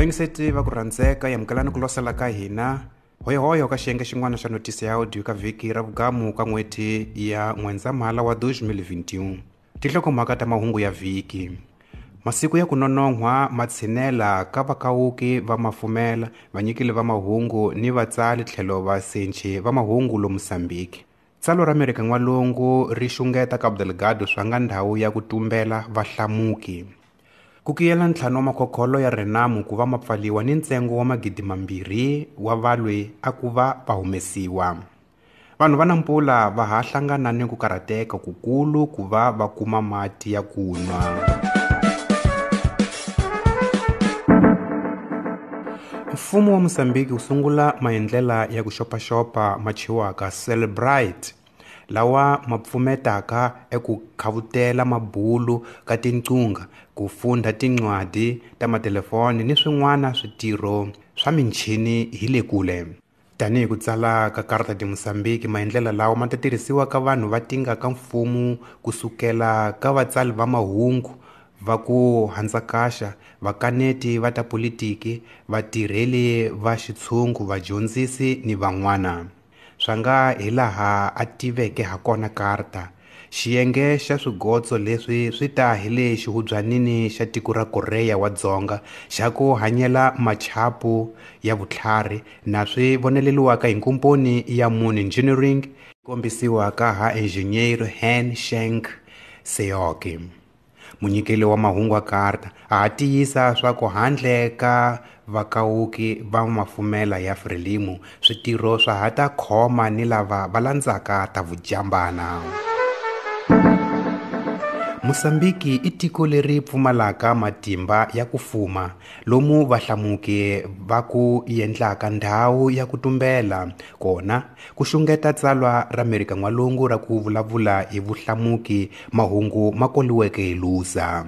Vayingiseti va ku rhandzeka, amukelani ku losela ka hina hoyohoyo ka xiyenge xin'wana xa notisi ya audio ka vhiki ra vugamu ka n'hweti ya N'wendzamhala wa 2021. Tinhlokomhaka ta mahungu ya vhiki. Masiku ya ku nonon'hwa ma tshinela ka vakawuki va mafumela, vanyikeli va mahungu ni vatsali tlhelo vasenchi va mahungu lomu Mozambique. Tsalwa ra Amerika N'walungu ri xungeta Cabo Delgado swa nga ndhawu ya ku tumbela vahlamuki. Ku kiyela ntlhanu wa makhokholo ya Renamo ku va ma pfaliwa ni ntsengo wa 2,000 wa valwi a ku va va humesiwa. Vanhu va Nampula va ha hlangana ni ku karhateka kukulu ku va va kuma mati ya ku nwa. Mfumo wa Mozambique wu sungula maendlela ya ku xopaxopa ma thyiwaka Celebrite, lawa ma pfumetaka eku khavutela mabulu ka tinqungha, ku fundha tincwadi ta matelefoni ni swin'wana switirho swa michini hi le kule. Tanihi ku tsala ka Carta de Mozambique, maendlela lawa ma ta tirhisiwa ka vanhu va tinga ka mfumo kusukela ka vatsali va mahungu va ku handzakaxa, vakaneti va ta politiki, vatirheli va xitshungu, vadyondzisi ni van'wana. Swa nga hi laha a tiveke hakona Carta, xiyenge xa swigotso leswi swi ta hi le xihubyanini xa tiko ra Korea wa Dzonga xa ku hanyela machapu ya vutlhari na swi voneleliwaka hi nkomponi ya Moon Engineering kombisiwa ka ha engineer Han Shank Seok. Munyikeli wa mahungu wa Carta a ha tiyisa swa ku handle ka vakawuki va mafumela ya Frelimo, switirho swa ha ta khoma ni lava va landzaka ta vujambana. Mozambique i tiko leri pfumalaka matimba ya ku fuma, lomu vahlamuki va ku endlaka ndhawu ya ku tumbela kona, ku xungeta tsalwa ra Amerika N'walungu ra ku vulavula hi vuhlamuki mahungu ma koliweke hi Lusa.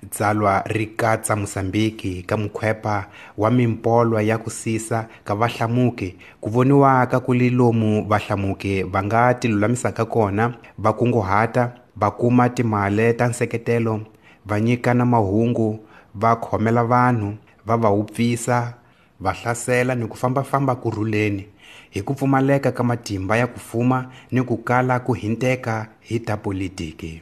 Tsalwa ri katsa Mozambique ka mukhwepa wa mimpolwa ya ku sisa ka vahlamuki, ku voniwaka ku li lomu vahlamuki va nga tilulamisaka kona, va kunguhata, va kuma timali ta nseketelo, va nyikana mahungu, va khomela vanhu, va va wupfisa, va hlasela ni ku fambafamba kurhuleni, hi ku pfumaleka ka matimba ya ku fuma ni ku kala ku hinteka hi ta politiki.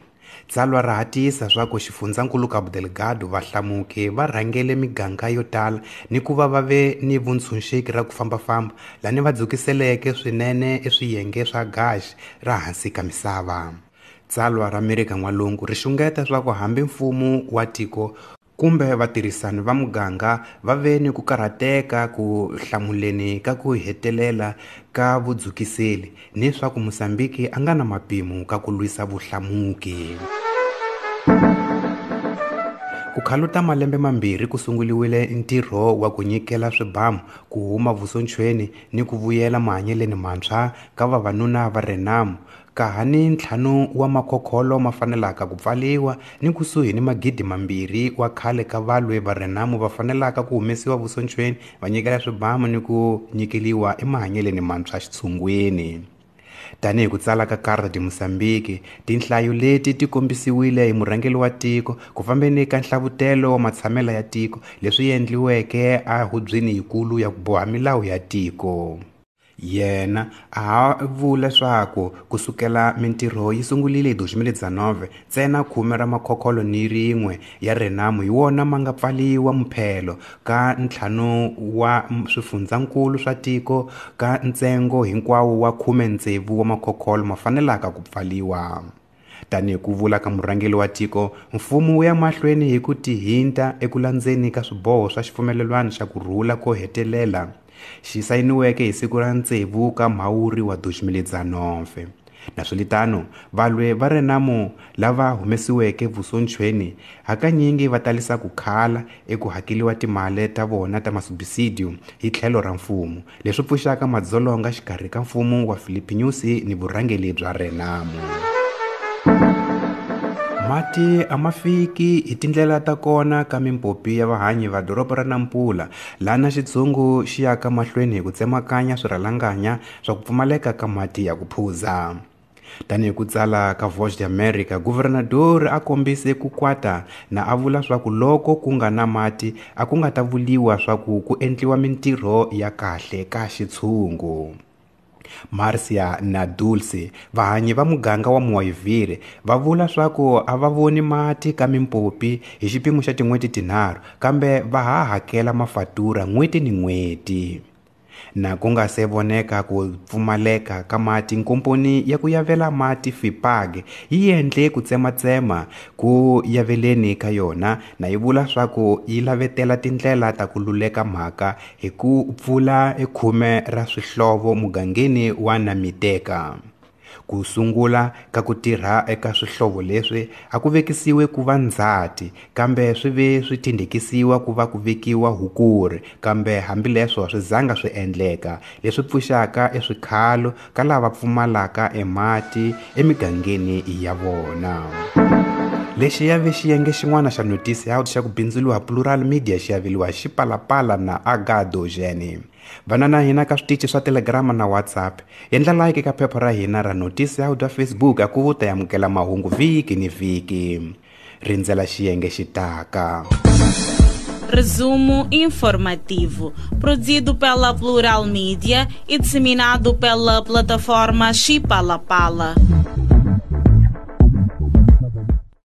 Tsalwa ra ha tiyisa swa ku xifundzankulu Cabo Delgado vahlamuki va rhangele miganga yo tala ni ku va va ve ni vuntshunxeki ra ku fambafamba, lani va dzukiseleke swinene eswiyenge swa gaxi ra hansi ka misava. Tsalwa ra Amerika N'walungu ri xungeta swa ku hambi mfumo wa tiko kumbe vatirhisani va muganga va ve ni ku karhateka ku hlamuleni ka ku hetelela ka vudzukiseli ni swa ku Mozambique a nga na mapimo ka ku lwisa vuhlamuki. Ku khaluta malembe mambirhi ku sunguliwile ntirho wa ku nyikela swibamu ku huma vusonchweni ni ku vuyela mahanyeleni mantshwa ka vavanuna va Renamo, ka ha ni ntlhanu wa makhokholo ma fanelaka ku pfaliwa ni kusuhi ni 2,000 wa khale ka valwi va Renamo va fanelaka ku humesiwa vusonchweni va nyikela swibamu ni ku nyikeliwa emahanyeleni mantshwa xitshungwini. Tanihi ku tsala ka Carta de Mozambique, tinhlayo leti ti kombisiwile hi murhangeri wa tiko ku fambeni ka nhlavutelo wa matshamelo ya tiko leswi endliweke a hubyeni yikulu ya ku boha milawu ya tiko. Yena a ha vula swaku kusukela mintirho yi sungurile hi 2019, ntsena 10 ra makhokholo ni rin'we ya Renamo hi wona ma nga pfaliwa muphelo ka ntlhanu wa swifundzankulu swa tiko ka ntsengo hinkwawo wa 16 wa makhokholo ma fanelaka ku pfaliwa. Tanihi ku vula ka murhangeri wa tiko, mfumo wu ya mahlweni hi ku tihinta eku landzeni ka swiboho swa xipfumelelwano xa ku rhula ko hetelela xi sayiniweke hi siku ra 6 ka Mhawuri wa 2019. Naswilitano, valwi va Renamo lava humesiweke vusonchweni hakanyingi va talisa ku khala eku hakeliwa timali ta vona ta masubisidio hi tlhelo ra mfumo, leswi pfuxaka madzolonga xikarhi ka mfumo wa Filipe Nyusi ni vurhangeri bya Renamo. Mati a ma fiki hi tindlela ta kona ka mimpopi ya vahanyi va doroba ra Nampula, lana xitshungu xi yaka mahlweni hi ku tsemakanya swirhalanganya swa ku pfumaleka ka mati ya ku phuza. Tanihi ku tsala ka Voz de América, governador a kombise ku kwata na a vula swa ku loko ku nga na mati a ku nga ta vuliwa swa ku ku endliwa mintirho ya kahle ka xitshungu. Marcia na Dulce, vahanyi va muganga wa Muayivire, va vula swa ku a va voni mati ka mimpopi hi xipimo xa tin'hweti tinharhu, kambe va ha hakela mafatura n'hweti ni n'hweti. Na ku nga se voneka ku pfumaleka ka mati, nkomponi ya ku yavela mati FIPAG yi endle ku tsematsema ku yaveleni ka yona na yi vula swa ku yi lavetela tindlela ta ku luleka mhaka hi ku pfula ekhume ra swihlovo mugangeni wa Namiteka. Ku sungula ka ku tirha eka swihlovo leswi a ku vekisiwe ku va Ndzhati, kambe swi ve swi tindhekisiwa ku va ku vekiwa Hukuri, kambe hambileswo swi zanga swi endleka, leswi pfuxaka eswikhalo ka lava pfumalaka emati emigangeni ya vona. Lexi ya ve xiyenge xin'wana xa Notícia xa ku bindzuriwa Plural Media xi aveliwa hi Xipalapala na Agado Jene. Vana na hina ka switichi swa Telegram na WhatsApp. Endla like ka phepha ra hina ra Notícia bya Facebook a ku ta amukela mahungu vhiki ni vhiki. Rindzela xiyenge xi taka. Resumo informativo, produzido pela Plural Mídia e disseminado pela plataforma Chipalapala.